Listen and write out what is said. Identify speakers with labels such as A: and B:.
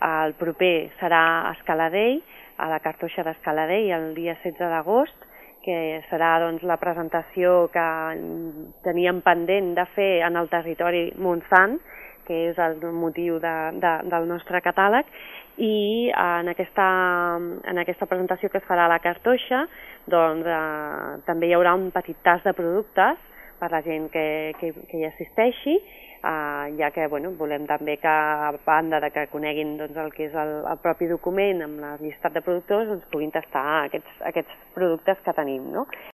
A: El proper serà a Escaladei, a la Cartoixa d'Escaladei, el dia 16 d'agost, que serà doncs, la presentació que teníem pendent de fer en el territori Montsant, que és el motiu del nostre catàleg, i en aquesta presentació que es farà a la Cartoixa doncs, també hi haurà un petit tas de productes per la gent que hi assisteixi, ja que volem també que, a banda de que coneguin el que és el propi document amb la llistat de productors, puguin tastar aquests productes que tenim, no?